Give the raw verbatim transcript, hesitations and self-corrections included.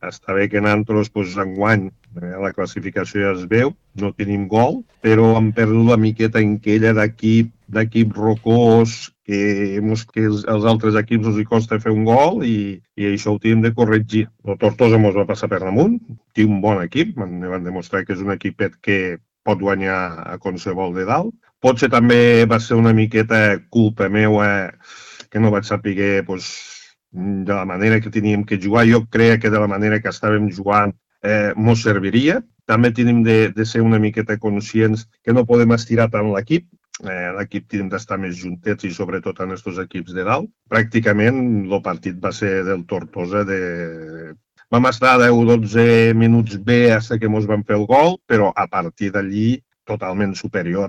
Està bé que nosaltres, pues, enguany, eh, la classificació ja es veu, no tenim gol, però hem perdut la miqueta en aquella d'equip, d'equip rocós, que, mos, que els, els altres equips els hi costa fer un gol i, i això ho tenim de corregir. El Tortosa mos va passar per damunt, té un bon equip, van, van demostrar que és un equipet que pot guanyar a qualsevol de dalt. Potser també va ser una miqueta culpa meva que no vaig saber, pues, de la manera que teníem que jugar. Jo crec que de la manera que estàvem jugant eh, mos serviria. També tenim de, de ser una miqueta conscients que no podem estirar tant l'equip. Eh, l'equip tenim d'estar més juntets i sobretot en aquests equips de dalt. Pràcticament el partit va ser del Tortosa. De... Vam estar deu o dotze minuts bé fins que mos van fer el gol, però a partir d'allí totalment superior.